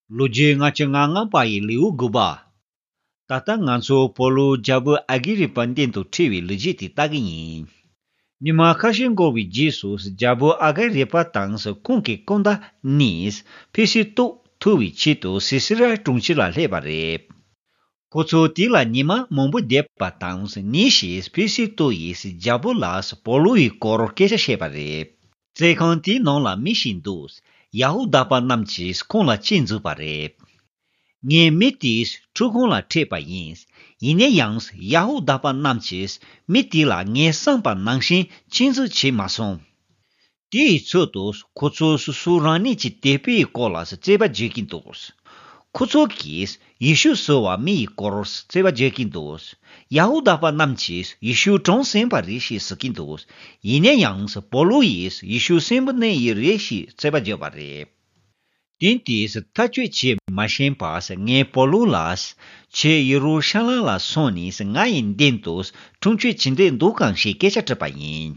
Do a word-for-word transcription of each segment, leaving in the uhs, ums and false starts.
ལོ་རྒྱུས་ལྔ་བཅུ་ང་ལྔ་པ་ཡི་ལེའུ་དགུ་པ། ད་ལྟ་ང་ཚོ་པོ་ལུ་རྒྱལ་པོ་ཨ་གི་རི་པ་མདུན་དུ་ཁྲིད་པའི་ལོ་རྒྱུས་དེ་ལྟ་གི་ཡིན། ཉི་མ་ཁ་ཤས་འགོར་བའི་རྗེས་སུ་རྒྱལ་པོ་ཨ་གི་རི་པ་དང་ཁོང་གི་སྐུ་ཟླ་གཉིས་ཕི་སི་ཏོ་ཐུག་པའི་ཆེད་དུ་སི་སི་ར་གྲོང་ཁྱེར་ལ་སླེབས་པ་རེད། ཁོ་ཚོ་དེ་ལ་ཉི་མ་མང་པོ་བསྡད་པ་དང་ཉིན་ཞིག་ཕི་སི་ཏོ་ཡིས་རྒྱལ་པོ་ལ་པོ་ལུ་ཡི་སྐོར་སྐད་ཆ་བཤད་པ་རེད། བཙོན་ཁང་དེའི་ནང་ལ་མི་ཞིག་འདུག་ཡ་ཧུ་དཱ་པ་རྣམས་ཀྱིས་ཁོང་ལ་སྐྱོན་བརྫུས་པ་རེད། ངས་མི་དེའི་ཁྲུས་ཁང་ལ་ཁྲིད་པ་ཡིན། ཡིན་ན་ཡང་ཡ་ཧུ་དཱ་པ་རྣམས་ཀྱིས་མི་དེ་ལ་ངས་གསུངས་པ་ནང་བཞིན་སྐྱོན་བརྫུས་བྱས་མ་སོང་། དེའི་ཚུལ་དུ་ཁོ་ཚོས་སོ་སོ་རང་ཉིད་ཀྱི་དད་པའི་སྐོར་ལ་རྩོད་པ་བརྗོད་ཀྱིན་འདུག་ཁོ་ཚོ་གིས་ཡེ་ཤུ་ཟེར་བ་མི་ཡི་སྐོར་རྩོད་པ་བརྗོད་ཀྱིན་འདུག་ཡ་ཧུ་དཱ་པ་རྣམས་ཀྱིས་ཡེ་ཤུ་གྲངས་ཟིན་པ་རེད་ཞེས་ཟེར་གྱིན་འདུག་ཡིན་ན་ཡང་པོ་ལུ་ཡིས་ཡེ་ཤུ་གསོན་པོ་གནས་ཡི་རེད་ཞེས་རྩོད་པ་བརྗོད་པ་རེད། དེ་དུས་ཐག་གཅོད་བྱེད་མ་ཤེས་པར་ངས་པོ་ལུ་ལ། ཁྱེད་ཡེ་རུ་ཤ་ལམ་ལ་སོང་ནས་ང་ཡི་མདུན་དུ་ཁྲིམས་གཅོད་བྱེད་འདོད་འདུག་གམ་ཞེས་སྐད་ཆ་དྲིས་པ་ཡིན།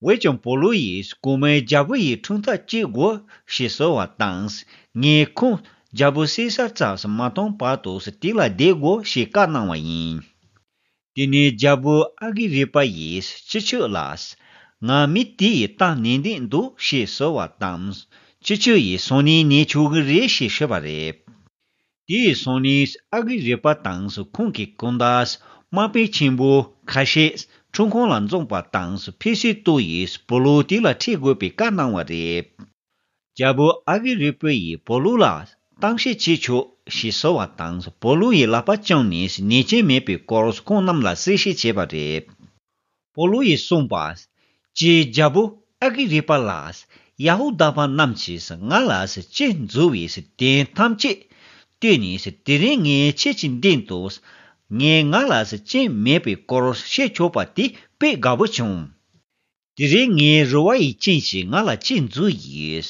འོན་ཀྱང་པོ་ལུ་ཡིས་སྐུ་མའི་རྒྱལ་པོ་ཡི་ཁྲིམས་ཐག་གཅོད་དགོས་ཞེས་ཟེར་བ་དང་། ངས་ཁོང་རྒྱལ་པོ་སེ་སར་རྩར་མ་གཏོང་བར་དུ་དེ་ལ་བསྡད་དགོས་ཞེས་བཀའ་གནང་བ་ཡིན། དེ་ནས་རྒྱལ་པོ་ཨ་གི་རི་པ་ཡིས་སྤྱི་ཁྱབ་ལ། ང་མི་དེ་ཡི་རྟ་ནན་ཏན་འདུག་ཞེས་ཟེར་བ་དང་། སྤྱི་ཁྱབ་ཡིས་སང་ཉིན་ནད་ཆོག་གི་རེད་ཞེས་ཤོད་པ་རེད། དེའི་སང་ཉིན་ཨ་གི་རི་པ་དང་ཁོང་གི་སྐུ་ཟླ་དམག་དཔོན་ཆེན་པོ་ཁ་ཤས་ཁྲིམས་ཁང་ལ་འཛོམས་པ་དང་ཕི་སི་ཏོ་ཡིས་པོ་ལུ་དེ་ལ་ཁྲིད་དགོས་པའི་བཀའ་གནང་བ་རེད། རྒྱལ་པོ་ཨ་གི་རི་པ་ཡིས་པོ་ལུ་ལ་གཏམ་བཤད་བྱེད་ཆོག་ཞེས་ཟེར་བ་དང་པོ་ལུ་ཡི་ལག་པ་བརྐྱངས་ནས་ཉེས་ཅན་མེད་པའི་སྐོར་ཁོང་རྣམས་ལ་གསལ་བཤད་བྱས་པ་རེད། པོ་ལུ་ཡིས་གསུངས་པ། ཀྱེ་རྒྱལ་པོ་ཨ་གི་རི་པ་ལགས། ཡ་ཧུ་དཱ་པ་རྣམས་ཀྱིས་ང་ལ་སྐྱོན་བརྫུས་པའི་དོན་ཐམས་ཅད་བལྟས་ནས་དེ་རིང་ངས་ཁྱེད་ཀྱི་མདུན་དུ་ངས་ང་ལ་སྐྱོན་མེད་པའི་སྐོར་བཤད་ཆོག་པ་དེ་དཔེ་དགའ་པོ་བྱུང་། དེ་རིང་ངའི་རེ་བ་ཡི་རྐྱེན་གྱིས་ང་ལ་ཅི་འཛུལ་ཡོད།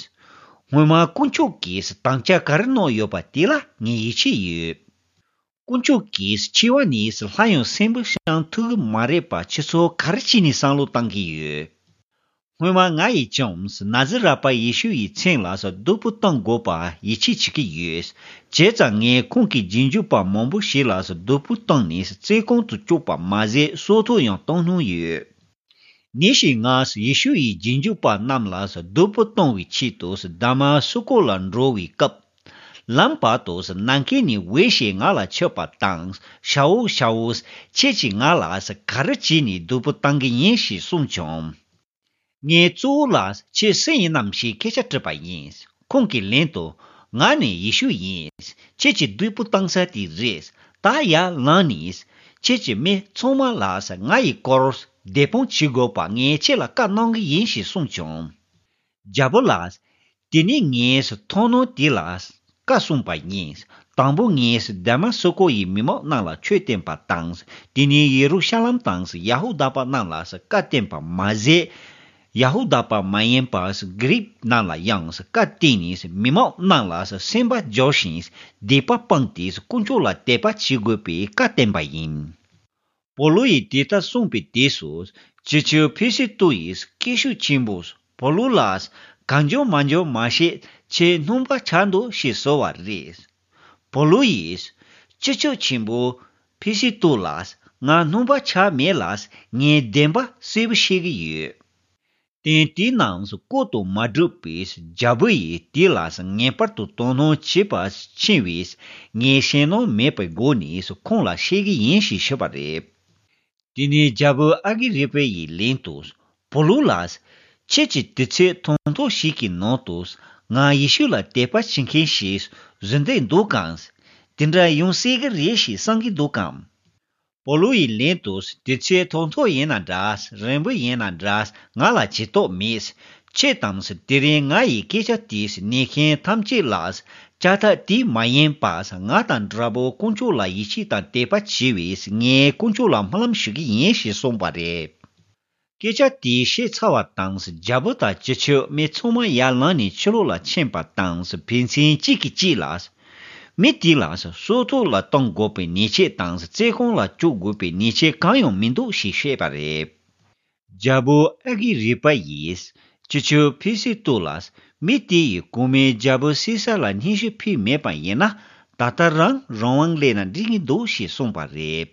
སྔོན་མ་དཀོན་མཆོག་གིས་དམ་བཅའ་ག་རེ་གནང་ཡོད་པ་དེ་ལ་ངས་ཡིད་ཆེས་ཡོད། དཀོན་མཆོག་གིས་འཆི་བ་ནས་ལྷ་ཡང་གསོན་པོ་བྱང་ཐུབ་ཀྱི་མ་རེད་པ། ཁྱེད་ཚོ་ག་རེ་བྱས་ནས་བསམ་བློ་བཏང་གི་ཡོད། སྔོན་མ་ང་ཡིས་ཀྱང་ན་ཛི་ར་པ་ཡེ་ཤུ་ཡི་མཚན་ལ་སྡུག་པོ་གཏོང་དགོས་པ་ཡིད་ཆེས་བྱེད་ཀྱི་ཡོད། བྱས་ཙང་ངས་ཁོང་གི་རྗེས་འཇུག་པ་མང་པོ་ཞིག་ལ་སྡུག་པོ་བཏང་ནས་བཙོན་ཁང་དུ་བཅུག་པ་མ་ཟད་སྲོག་ཐོག་ཡང་གཏོང་མྱོང་ཡོད། ཉིན་ཞིག་ང་ཡེ་ཤུ་ཡི་རྗེས་འཇུག་པ་རྣམས་ལ་སྡུག་པོ་གཏོང་བའི་ཆེད་དུ་དཱ་མ་སུ་ཀོ་ལ་འགྲོ་བའི་སྐབས། ལམ་བར་དུ་ནམ་མཁའ་ནས་འོད་ཞིག་ང་ལ་ཕྱོགས་པ་དང་། ཤ་འུ་ཤ་འུ། ཁྱེད་ཀྱིས་ང་ལ་ག་རེ་བྱས་ནས་སྡུག་པོ་བཏང་གི་ཡིན་ཞེས་གསུངས་བྱུང་། ངས་གཙོ་བོ་ལ་ཁྱེད་སུ་ཡིན་ནམ་ཞེས་སྐད་ཆ་དྲིས་པ་ཡིན། ཁོང་གིས་ལན་དུ། ང་ནི་ཡེ་ཤུ་ཡིན། ཁྱེད་ཀྱིས་སྡུག་པོ་བཏང་ས་དེ་རེད། ད་ཡར་ལངས་ནས། ཁྱེད་ཀྱིས་མི་ཚང་མ་ལ་ང་ཡི་སྐོར་བདེན་དཔང་བྱེད་དགོས་པ་ངས་ཁྱེད་ལ་བཀའ་གནང་གི་ཡིན་ཞེས་གསུངས་བྱུང་། རྒྱལ་པོ་ལགས། དེ་ནས་ངས་མཐོང་སྣང་དེ་ལ་བཀའ་གསུངས་པ་ཡིན། དང་པོ་ངས་དཱ་མ་སུ་ཀོ་ཡི་མི་མང་རྣམས་ལ་ཆོས་བསྟན་པ་དང་། དེ་ནས་ཡེ་རུ་ཤ་ལམ་དང་ཡ་ཧུ་དཱ་པ་རྣམས་ལ་བཀའ་བསྟན་པ་མ་ཟད། ཡ་ཧུ་དཱ་པ་མ་ཡིན་པ་གྷི་རིག་རྣམས་ལ་ཡང་བཀའ་བསྟན་ནས་མི་མང་རྣམས་ལ་སེམས་པ་འཇོག་ཞིང་སྡིག་པ་སྤངས་ཏེ་དཀོན་མཆོག་ལ་དད་པ་བྱེད་དགོས་པའི་བཀའ་བསྟན་པ་ཡིན། པོ་ལུ་ཡིས་དེ་ལྟར་གསུངས་པའི་དུས་སུ་སྤྱི་ཁྱབ་ཕེ་སི་ཏུ་ཡིས་སྐད་ཤུགས་ཆེན་པོས་པོ་ལུ་ལ་གང་འཇོག་མ་འཇོག་མ་ཤེས་ཁྱེད་སྣང་བ་ཆགས་འདུག་ཞེས་ཟེར་བ་རེད། པོ་ལུ་ཡིས་སྤྱི་ཁྱབ་ཆེན་པོ་ཕེ་སི་ཏུ་ལ་ང་སྣང་བ་ཆགས་མེད་ལ་ངས་བདེན་པ་གསལ་པོ་ཤེས་ཀྱི་ཡོད། ཏན་ཏིག་ནང་བཀོད་དུ་མ་གྲུབ་པའི་རྒྱལ་པོ་ཡིས་དེ་ལ་ངེས་པར་དུ་དོ་སྣང་བྱེད་པ་ཕྱིན་པས་ངས་ཞེད་སྣང་མེད་པའི་སྒོ་ནས་ཁོང་ལ་བཤད་ཀྱི་ཡིན་ཞེས་ཤོད་པ་རེད། དེ་ནས་རྒྱལ་པོ་ཨ་གི་རི་པ་ཡིས་ལན་དུ་པོ་ལུ་ལ། ཁྱེད་ཀྱིས་དུས་ཚོད་ཐུང་ཐུང་ཞིག་གི་ནང་དུ་ང་ཡེ་ཤུ་ལ་དད་པ་བྱེད་མཁན་ཞིག་བཟོ་འདོད་འདུག་གམ། དེ་འདྲ་ཡོང་སྲིད་ཀྱི་རེད་ཞེས་བསམ་གྱི་འདུག་གམ། པོ་ལུ་ཡིས་ལན་དུ་དུས་ཚོད་ཐུང་ཐུང་ཡིན་ན་འདྲ་རིང་པོ་ཡིན་ན་འདྲ་ང་ལ་ཇུས་གཏོགས་མེད། ཁྱེད་དང་དེ་རིང་ང་ཡི་སྐད་ཆ་དེས་ཉན་མཁན་ཐམས་ཅད་ལ་ཅ་ཐག་དེ་མ་ཡིན་པ་ང་དང་འདྲ་པོ་དཀོན་མཆོག་ལ་ཡིད་ཆེས་དང་དད་པ་བྱེད་པས་ངས་དཀོན་མཆོག་ལ་སྨོན་ལམ་ཞུ་གི་ཡིན་ཞེས་གསུངས་པ་རེད། སྐད་ཆ་དེ་བཤད་ཚར་བ་དང་རྒྱལ་པོ་དང་སྤྱི་ཁྱབ་མི་ཚང་མ་ཡར་ལངས་ནས་ཕྱི་ལོགས་ལ་ཕྱིན་པ་དང་ཕན་ཚུན་གཅིག་གིས་གཅིག་ལ། མི་དེ་ལ་སྲོག་ཐོག་ལ་གཏོང་དགོས་པའི་ཉེས་ཆད་དང་བཙོན་ཁང་ལ་བཅུག་དགོས་པའི་ཉེས་ཆད་གང་ཡང་མི་འདུག་ཞེས་བཤད་པ་རེད། རྒྱལ་པོ་ཨ་གི་རི་པ་ཡིས་སྤྱི་ཁྱབ་ཕེ་སི་ཏུ་ལ། མི་དེ་ཡིས་གོང་མའི་རྒྱལ་པོ་སི་ས་ལ་སྙན་ཞུ་ཕུལ་མེད་པ་ཡིན་ན། ད་ལྟ་རང་རང་དབང་སླེབས་ན་འགྲིག་གི་འདུག་ཞེས་གསུངས་པ་རེད།